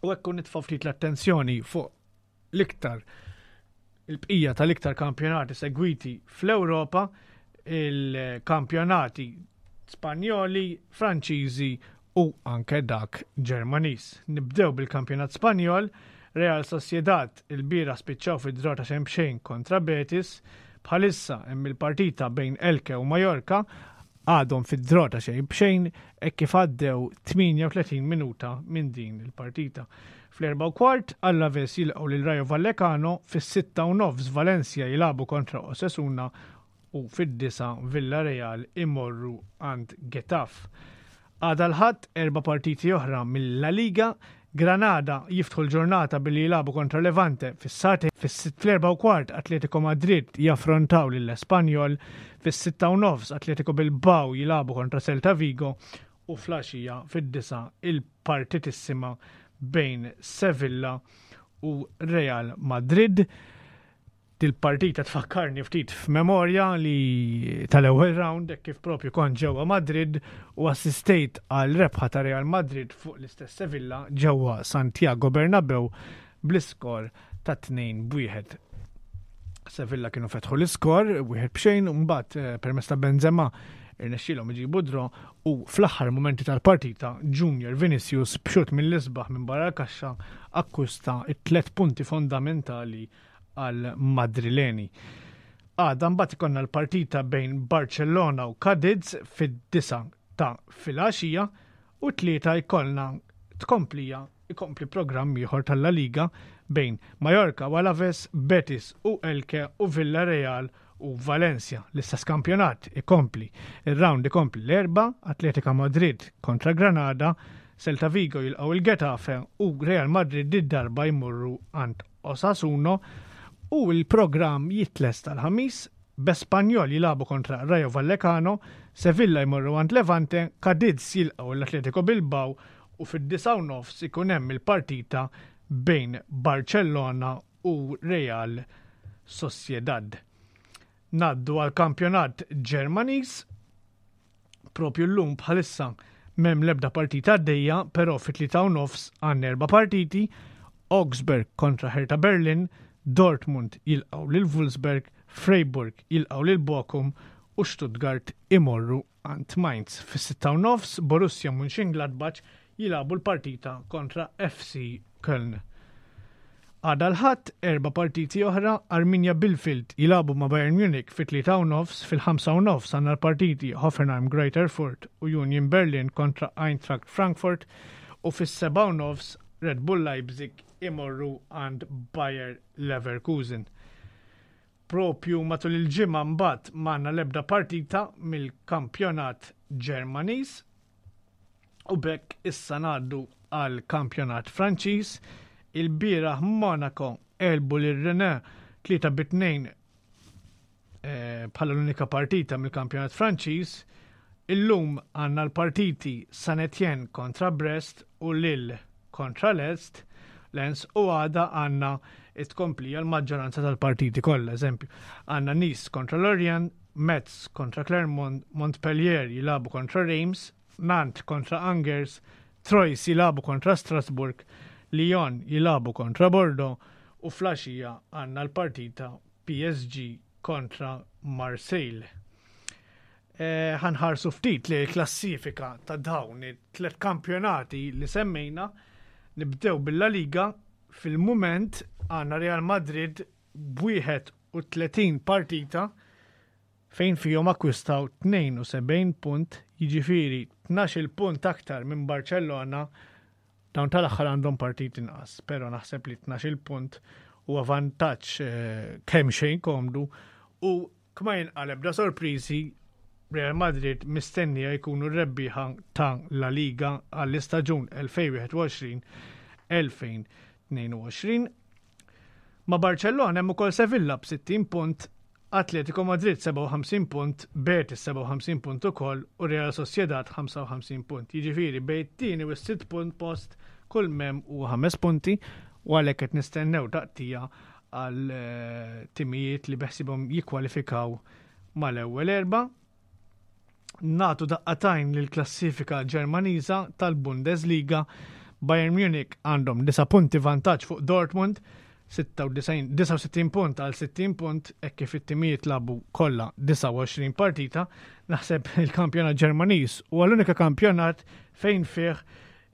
[SPEAKER 4] U hekk nitfa' ftit l-attenzjoni fuq l-iktar il-bqija tal-iktar kampjonati segwiti fl-Ewropa, il-kampjonati Spanjoli, Franċiżi u anke dak Ġermaniż. Nibdew bil-kampjonat Spanjol, Real Sociedad il-bieraħ spiċċaw fi draw ta' xejn b'xejn kontra Betis, bħalissa hemm il-partita bejn Elche u Mallorca għadhom fi draw ta' xejn b'xejn hekk kif għaddew 38 minuta minn din il-partita. Fl-4:15 Alaves jilqgħu lil Rayo Vallecano, fis-6:30 Valencia jilagħbu kontra Osasuna u fid-disgħa Villarreal imorru għand Getafe. Għada l-Ħadd erba' partiti oħra mill-La Liga, Granada jiftħu l-ġurnata billi jilagħbu kontra Levante fis-sagħtejn, fl-4:15 Atletico Madrid jaffrontaw lil Espanyol, fis-6:30 Atletico Bilbao jilagħbu kontra Celta Vigo u fl-għaxija fid-disgħa il-partitissima bejn Sevilla u Real Madrid. Dil-partita tfakkarni ftit f'memorja li tal-ewwel round hekk kif propju kont ġewwa Madrid u assistejt għal rebħa ta' Real Madrid fuq l-istess Sevilla ġewwa Santiago Bernabeu bl-iskor ta' 2-1. Sevilla kienu fetħu l-iskor 1-0 u mbagħad eh, permezz ta' Benzema irnexxielhom iġibu draw u fl-aħħar momenti tal-partita Junior Vinicius b'xut mill-isbaħ minn barra l-kaxxa akkwista it-tlet punti fondamentali għal Madrileni. Għada mbagħad ikollna l-partita bejn Barcellona u Cadiz fid-disa ta' filgħaxija u tlieta jkollna tkomplija ikompli programm ieħor tal-La Liga bejn Mallorca u Alaves, Betis u Elche u Villarreal u Valencia. L-istess kampjonat ikompli. Ir-round ikompli l-Erbgħa, Atletica Madrid kontra Granada, Celta Vigo jilqgħu il-Getafe u Real Madrid id-darba jmorru għand Osasuna u l-programm jitlesta l-Ħamis b'Espanyol jilagħbu kontra Rayo Vallecano, Sevilla jmorru għand Levante, Cadiz jilqgħu l-Atletico Bilbao u fid-9:30 ikun hemm il-partita bejn Barcellona u Real Sociedad. Ngħaddu għal kampjonat Ġermaniż. Propju llum bħalissa m'hemm l-ebda partita għaddejja, però fit-3:30 għandna erba' partiti: Augsburg kontra Hertha Berlin, Dortmund jilqgħu lil Wolfsburg, Freiburg jilqgħu lil Bochum u Stuttgart imorru għand Mainz. Fis-6:30 Borussia Mönchengladbach jilagħbu l-partita kontra FC Köln. Għada l-Ħadd erba' partiti oħra, Arminia Bielefeld jilagħbu ma' Bayern Munich fit-3:30, fil-5:30 għandna l-partiti Hoffenheim Greuther Fürth u Union Berlin kontra Eintracht Frankfurt. u fis-7:30 Red Bull Leipzig imorru għand Bayer Leverkusen. Propju matul il-ġimgħa mbagħad m'għandna l-ebda partita mill-kampjonat Ġermaniż u b'hekk issa ngħaddu għal kampjonat Franċiż. Il-bieraħ Monaco għelbu lil Rennes 3 bi 2 eh, bħala l-unika partita mill-kampjonat Franċiż. Illum għandna l-partiti San Etienne kontra Brest u Lille kontra Lest, Lens u għada għandna it-tkomplija l-maġġoranza tal-partiti kollha, eżempju, għandna Nice kontra Lorient, Metz kontra Clermont, Montpellier jilagħbu kontra Reims, Nantes kontra Angers, Troyes jilagħbu kontra Strasbourg, Lyon jilagħbu kontra Bordeaux u flaxija għandna l-partita PSG kontra Marseille. Eh, ħanħarsu ftit li l-klassifika ta' dawn it-tlet kampjonati li semmejna. Nibdew bil-La Liga fil-mument għandna Real Madrid b'31 partita fejn fihom akkwistaw 72 punt, jiġifieri 12 punt aktar minn Barcellona. Dawn tal-aħħar għandhom partit inqas, però naħseb li 12 punt huwa vantaġġ eh, kemm xejn komdu u kma jinqaleb da sorpriżi Real Madrid mistennija jkunu r-rebbieħa ta' La Liga għall-istaġun 2021-2022. Ma' Barcellona hemm ukoll Sevilla b'60 punt, Atletico Madrid 57 punt, Betis 57 punt ukoll u Real Sociedad 55 punt. Jiġifieri bejn it-tieni u s-sitt punt post kull mem u 5 punti u għalhekk qed nistennew taqtija għal eh, timijiet li beħsibhom jikkwalifikaw mal-ewwel erba'. Natu daqqatajn lil klassifika Ġermaniża tal-Bundesliga. Bayern Munich għandhom 9 punti vantaġġ fuq Dortmund, 69 punt għal 60 punt, hekk kif it-timijiet labu kollha 29 partita. Naħseb il-kampjonat Ġermaniż huwa l-unika kampjonat fejn fih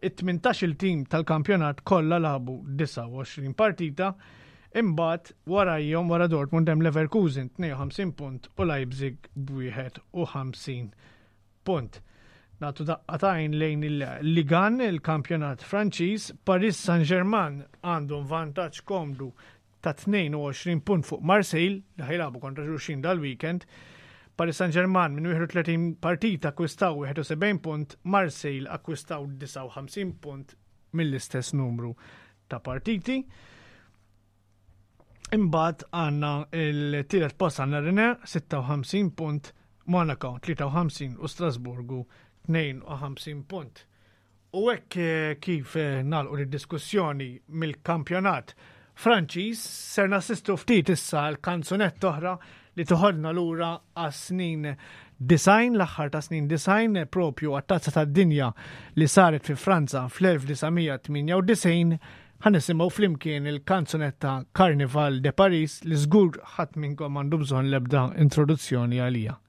[SPEAKER 4] it-18 il-tim tal-kampjonat kollha lagħbu 29 partita. Imbagħad warajhom wara Dortmund hemm Leverkusen 52 punt u Leipzig b'51 punt. Nagħtu daqqa t'għajn lejn il-Ligue 1, il-kampjonat Franċiż, Paris Saint-Germain għandhom vantaġġ komdu ta' 22 punt fuq Marseille li ħajlabu kontra xulxin dal-weekend. Paris Saint-Germain minn 31 partita akkwistaw 71 punt, Marseille akkwistaw 59 punt mill-istess numru ta' partiti. Imbagħad għandna il-tielet post għandna Rennes 56 punt, Monaco 53 u Strasburgu 52 punt. U hekk eh, kif eh, nagħlqu d-diskussjoni mill-kampjonat Franċiż, ser nassistu ftit issa l-kanzunetta oħra li toħodna lura għas-snin design, l-aħħar ta' snin design propju għat-tazza tad-dinja li saret fi Franza fl-1998 ħa nisimgħu flimkien il-kanzunetta Carnival de Paris li żgur ħadd minnkom għandu bżonn l-ebda introduzzjoni għalija.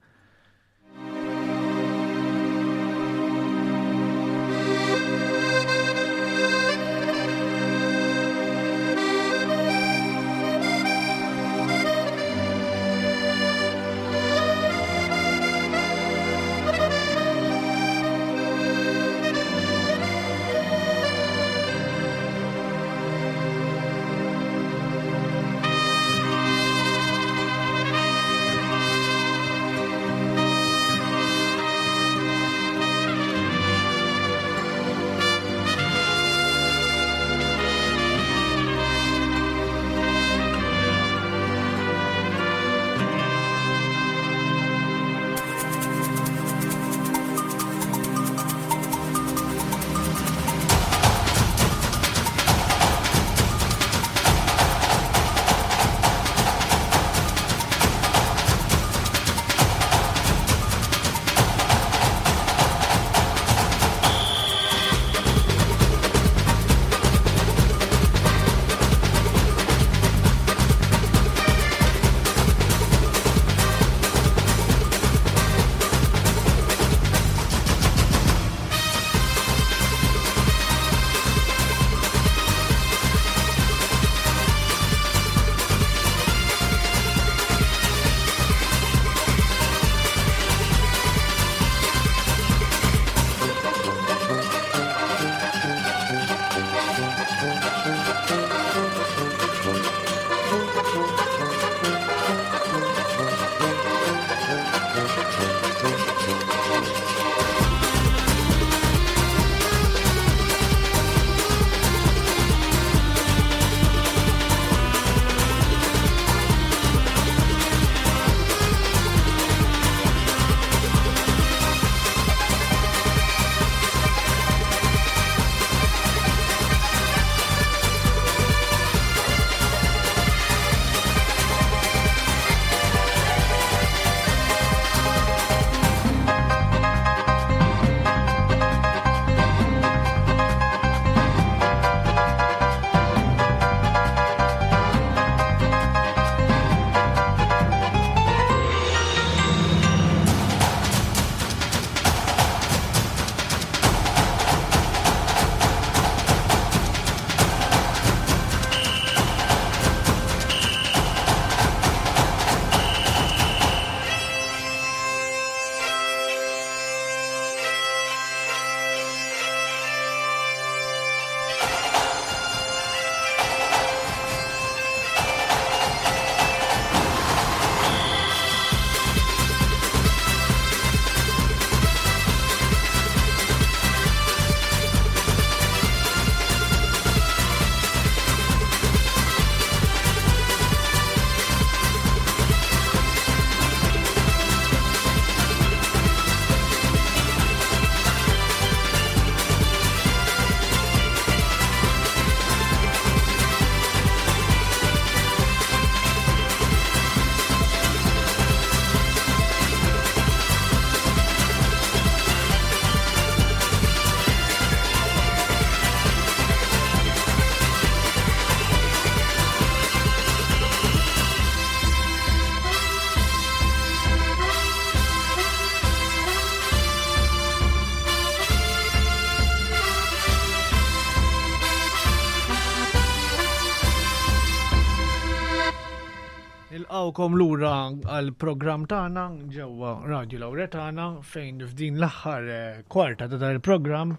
[SPEAKER 4] Nilqgħukom lura għall-programm tagħna ġewwa Radio Lauretana fejn f'din l-aħħar eh, kwarta ta' dan il-programm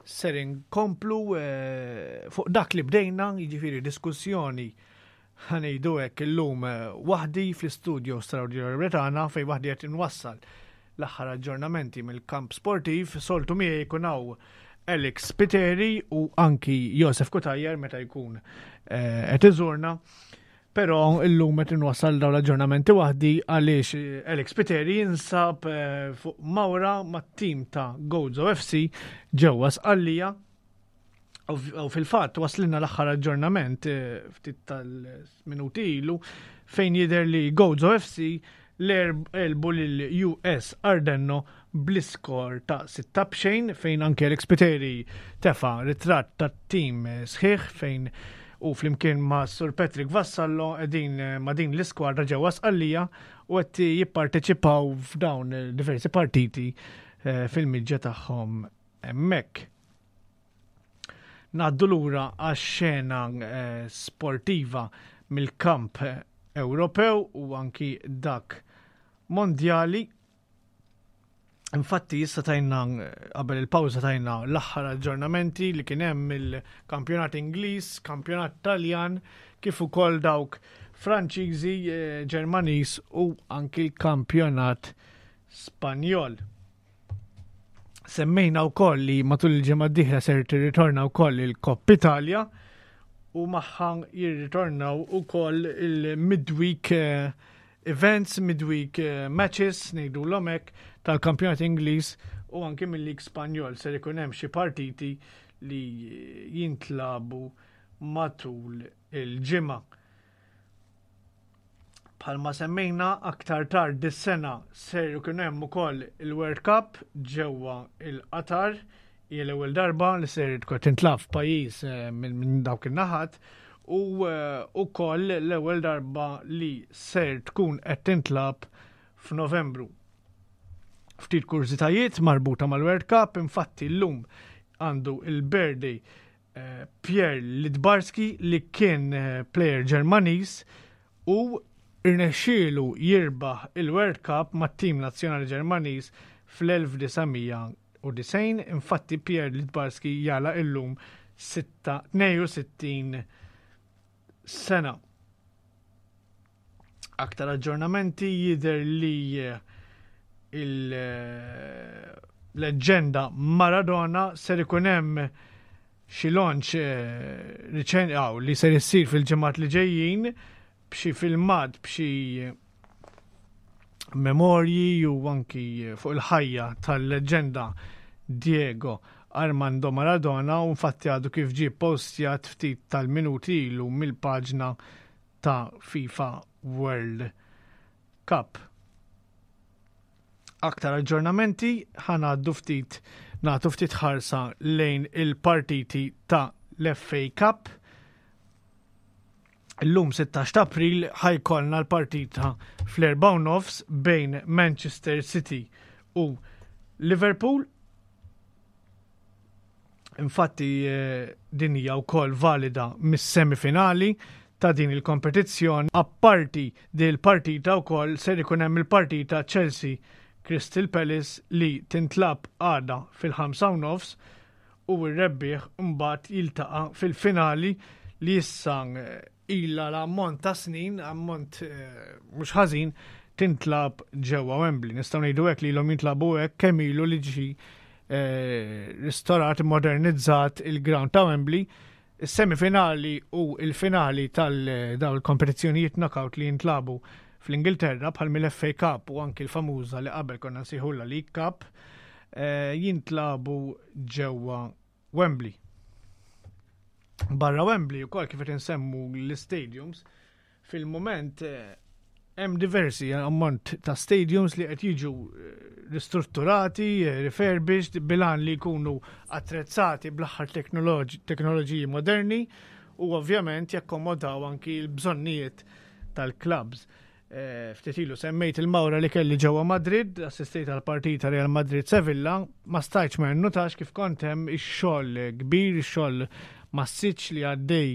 [SPEAKER 4] ser inkomplu eh, fuq dak li bdejna, jiġifieri diskussjoni ħanejdu hekk illum eh, waħdi fl-istudio Radio Lauretana fejn waħdi qed inwassal l-aħħar aġġornamenti mill-kamp sportiv, soltu miegħi jkun hawn Alex Piteri u anki Josef Kutajer meta jkun qed iżurna. Però illum qed inwassal dawn l-aġġornamenti waħdi għaliex eh, Alex Piteri jinsab eh, fuq mawra mat-tim ta' Gozo FC ġewwa Sqallija. U fil-fatt waslilna l-aħħar aġġornament eh, ftit tal-minuti ilu fejn jidher li Gozo FC l-għelbu lil US Ardenno bl-iskor ta' 6 b'xejn fejn anke Alex Piteri tefa' ritratt tat-tim sħiħ fejn u flimkien ma' Sur Patrick Vassallo qegħdin ma' din l-iskwadra ġewwa Sqallija u qed jipparteċipaw f'dawn diversi partiti eh, fil-miġġa tagħhom hemmhekk. Ngħaddu lura għax-xena eh, sportiva mill-kamp Ewropew u anki dak mondjali. Infatti issa tajna qabel il-pawża tajna l-aħħar aġġornamenti li kien hemm il-kampjonat Ingliż, kampjonat Taljan, kif ukoll dawk Franċiżi, eh, Ġermaniż u anki l-kampjonat Spanjol. Semmejna wkoll li matul il-ġimgħa d-dieħla ser tirritorna wkoll il-Kopp Italia u magħha jirritornaw ukoll il-midweek eh, events, midweek eh, matches, ngħidu l-omek, tal-kampjonat Ingliż u anki mill-Lig Spanjol ser ikun hemm xi partiti li jintlabu matul il-ġimgħa. Bħalma semmejna aktar tard dis-sena ser ikun hemm ukoll il-World Cup ġewwa il-Qatar hija l-ewwel darba li ser tkun tintlab f'pajjiż eh, minn dawk in-naħat u eh, ukoll l-ewwel darba li ser tkun qed tintlab f'Novembru. Ftit kurżitajiet marbuta mal-World Cup, infatti llum għandu il-birthday eh, Pierre Lidbarski li kien player Ġermaniż u rnexxielu jirbaħ il-World Cup mat-tim nazzjonali Ġermaniż fl-1990. Infatti Pierre Littbarski jagħlaq illum 62 sena. Aktar aġġornamenti jidher li il-leġġenda Maradona ser ikun hemm xi launch eh, li ser issir fil-ġimgħat li ġejjin b'xi filmat b'xi memorji u anki fuq il-ħajja tal-leġġenda Diego Armando Maradona u infatti għadu kif ġie postjat ftit tal-minuti ilu mill-paġna ta' FIFA World Cup. Aktar aġġornamenti ħanaddu ftit nagħtu ftit ħarsa lejn il-partiti ta' l-FA Cup. Illum 16 ta' April ħajkollna l-partita fl-4 nofs bejn Manchester City u Liverpool. Infatti eh, din hija wkoll valida mis-semifinali ta' din il-kompetizzjoni. Apparti din il-partita wkoll ser ikun hemm il-partita Chelsea Crystal Palace li tintlab għada fil-5 nofs u r-rebbieħ mbagħad jiltaqa' fil-finali li issa eh, ilha l-ammont ta' snin, ammont eh, mhux ħażin, tintlab ġewwa Wembley. Nistgħu ngħidu hekk li ilhom jintlabu hekk kemm ilu li ġi eh, ristorat, modernizzat il-ground ta' Wembley. Is-semifinali u il-finali tal-dawn il-kompetizzjonijiet knockout li jintlabu fl-Ingilterra bħal mill-FA Cup u anki l-famuża li qabel konna nsejħulha League Cup eh, jintlabu ġewwa Wembley. Barra Wembley ukoll kif qed insemmu l-stadiums, fil-mument eh, hemm diversi ammont ta' stadiums li qed jiġu eh, ristrutturati, eh, refurbished, bilan li jkunu attrezzati bl-aħħar teknoloġiji moderni u ovvjament jakkomodaw anki l-bżonnijiet tal-clubs. Eh, ftit ilu semmejt il-mawra li kelli ġewwa Madrid, assistejt għal partita Real Madrid Sevilla, ma stajtx ma nnotax kif kont hemm ix-xogħol kbir, ix-xogħol massiċ li għaddej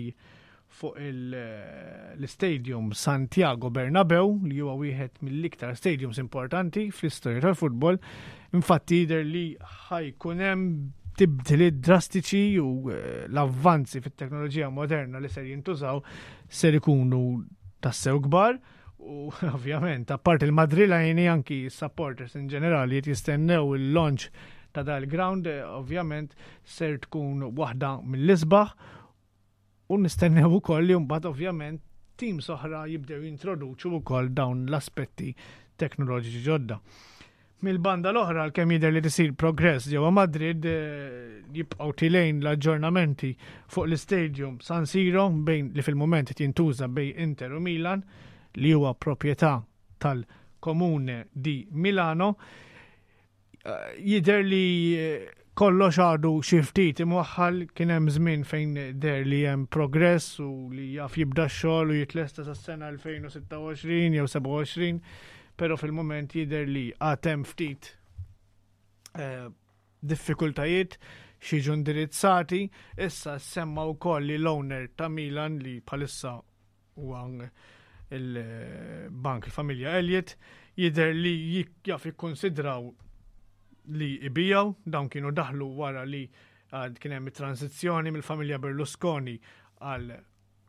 [SPEAKER 4] fuq l-Stadium Santiago Bernabeu li huwa wieħed mill-iktar stadiums importanti fl-istorja tal-futbol. Infatti jidher li ħajkun hemm tibdiliet drastiċi u eh, l-avvanzi fit-teknoloġija moderna li ser jintużaw ser ikunu tassew kbar. U ovvjament, apart il-Madrilajni anki supporters in ġenerali jistennew il-launch ta' dal-ground, eh, ovvjament ser tkun waħda mill-isbaħ U nistennew ukoll li mbagħad ovvjament teams oħra jibdew jintroduċu wkoll dawn l-aspetti teknoloġiċi ġodda. Mill-banda l-oħra għalkemm jidher li tisir progress ġewwa Madrid eh, jibqgħu tilejn l-aġġornamenti fuq l-istadium San Siro bejn li fil-mument qed jintuża bejn Inter u Milan li huwa proprjetà tal-Comune di Milano. Jidher li kollox għadu xi ftit imwaħħal kien hemm żmien fejn der li hemm progress u li jaf jibda x-xogħol u jitlesta sas-sena 2026 jew 27, però fil-mument jidher li għad hemm ftit eh, diffikultajiet xi indirizzati. Issa semma wkoll li l-owner ta' Milan li bħalissa huwa il-bank il-familja Elliot jidher li jaf jikkonsidraw li ibijaw, dawn kienu daħlu wara li kien hemm it-transizzjoni mill-familja Berlusconi għal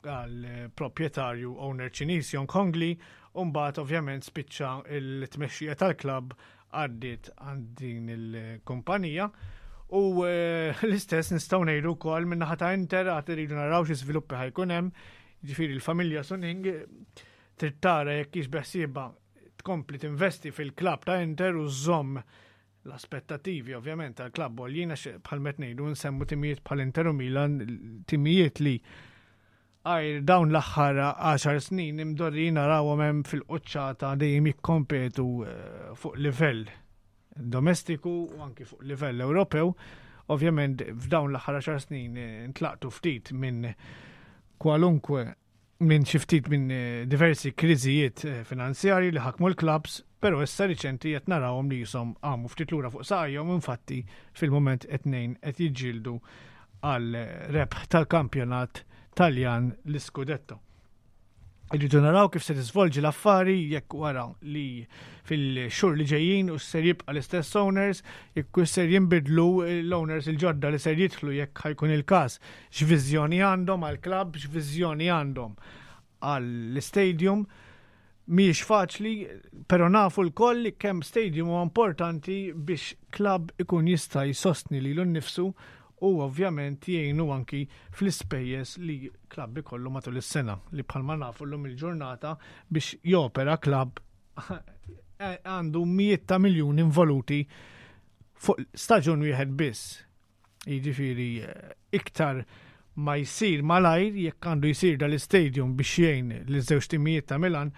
[SPEAKER 4] għal proprjetarju owner Ċiniż Yong Hongli u mbagħad ovvjament spiċċa l-tmexxija tal-klabb għaddiet għand din il-kumpanija. U eh, l-istess nistgħu ngħidu wkoll min-naħa ta' Inter għad iridu naraw xi żviluppi ħajkun hemm. Ġifieri l-familja Suning trid tara jekk hix beħsiebha tkompli tinvesti fil-klabb ta' Inter u żżomm l-aspettativi ovvjament tal-klabb għoljin għax bħal met ngħidu nsemmu timijiet bħal Inter u Milan, timijiet li għajr dawn l-aħħar 10 snin imdorri narawhom hemm fil-quċċata dejjem jikkompetu eh, fuq livell domestiku u anki fuq livell Ewropew. Ovvjament f'dawn l-aħħar 10 snin eh, ntlaqtu ftit minn kwalunkwe minn xi ftit minn eh, diversi kriżijiet eh, finanzjarji li ħakmu l-klabs, però issa riċenti qed narawhom li jisom għamu ftit lura fuq saqajhom infatti fil-mument qed nejn qed jiġġieldu għal rebħ tal-kampjonat Taljan l-Scudetto. Irridu naraw kif se tiżvolġi l-affari jekk wara li fil-xhur li ġejjin u ser jibqa' l-istess owners, jekk ser jinbidlu l-owners il-ġodda li ser jidħlu jekk ħajkun il-każ, x'viżjoni għandhom għall-klabb, x'viżjoni għandhom għall-stadium. Mhijiex faċli, però nafu lkoll li kemm stadium huwa importanti biex klabb ikun jista' jsostni lilu nnifsu u ovvjament jgħinu anki fl-ispejjeż li klabb ikollu matul is-sena li bħalma nafu llum il-ġurnata biex jopera klabb għandu mijiet ta' miljuni involuti fuq staġun wieħed biss. Jiġifieri eh, iktar ma jsir malajr jekk għandu jsir dal-istadium biex jgħin li żewġ timijiet ta' Milan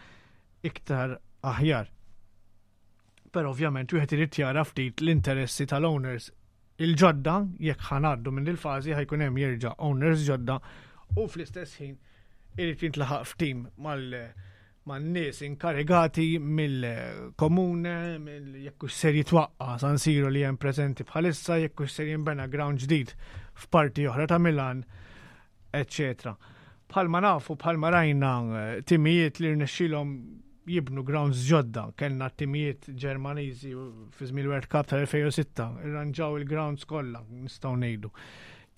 [SPEAKER 4] iktar aħjar. Però ovvjament wieħed irid jara ftit l-interessi tal-owners il-ġodda jekk ħanaddu minn il-fażi ħajkun hemm jerġa' owners ġodda u fl-istess ħin irid jintlaħaq ftim mal man-nies inkarigati mill-komune, mill jekk hux ser jitwaqqa San Siro li hemm preżenti bħalissa, jekk hux ser jinbena ground ġdid f'parti oħra ta' Milan, eċċetera. Bħalma nafu, bħalma rajna eh, timijiet li rnexxilhom jibnu grounds ġodda, kellna timijiet Ġermaniżi fi żmien World Cup tal-2006, irranġaw il-grounds kollha, nistgħu ngħidu.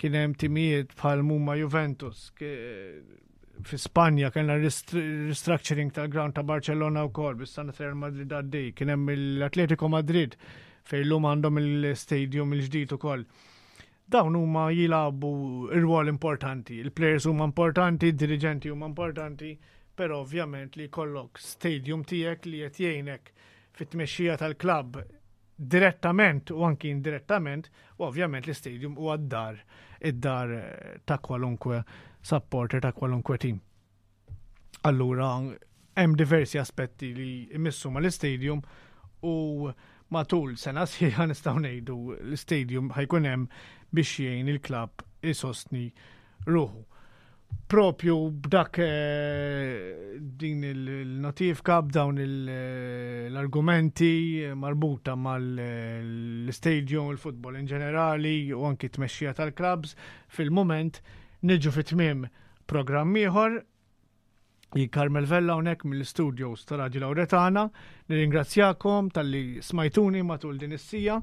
[SPEAKER 4] Kien hemm timijiet bħal mumma Juventus, fi Spanja kellna restructuring tal-ground ta' Barcellona wkoll, bis-sena Real Madrid għaddej, kien hemm l-Atletico Madrid fejn lum għandhom il-stadium il-ġdid ukoll. Dawn huma jilagħbu rwol importanti. Il-players huma importanti, id-diriġenti huma importanti, però ovvjament li jkollok stadium tiegħek li qed jgħinek fit-tmexxija tal-klabb direttament u anki indirettament, u ovvjament l-istadium huwa d-dar, id-dar ta' kwalunkwe supporter ta' kwalunkwe team. Allura hemm diversi aspetti li jmissu mal-istadium u matul sena sħiħa nistgħu ngħidu l-istadium ħajkun hemm biex jgħin il-klabb isostni ruħu. Propju b'dak eh, din il-notifika, b'dawn l-argumenti marbuta mal-stadium, il-futbol in ġenerali u anki tmexxija tal-klabs, fil-moment niġu fit-tmiem. programm ieħor. Jien Carmel Vella hawnhekk mill-studios ta' Radio Lauretana. Nirringrazzjakom talli smajtuni matul din is-sija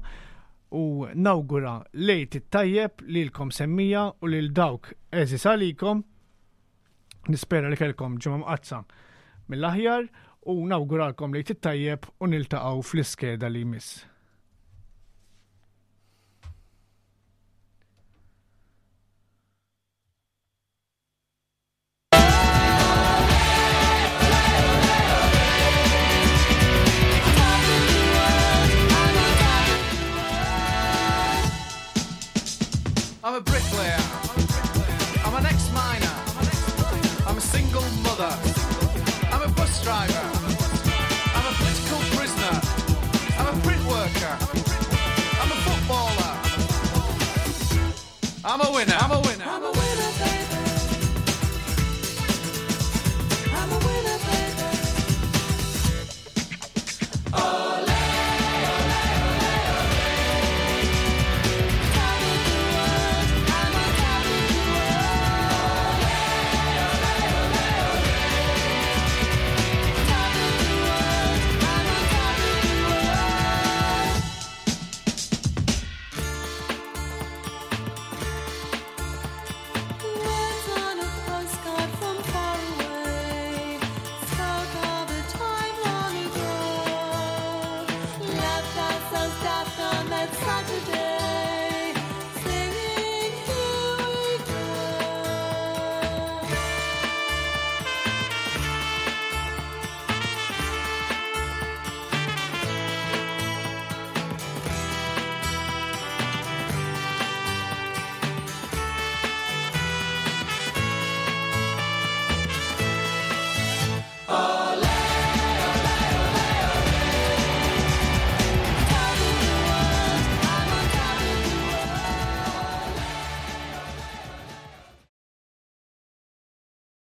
[SPEAKER 4] u nawgura lejt it-tajjeb lilkom semmija u lil dawk għeżież għalikom. Nispera li kellkom ġimgħa mqaddsa mill-aħjar u nawguralkom lejt it-tajjeb u niltaqgħu fl-iskeda li jmiss.
[SPEAKER 6] I'm a bricklayer. I'm an ex-miner. I'm a single mother. I'm a bus driver. I'm a political prisoner. I'm a print worker. I'm a footballer. I'm a winner. I'm a winner.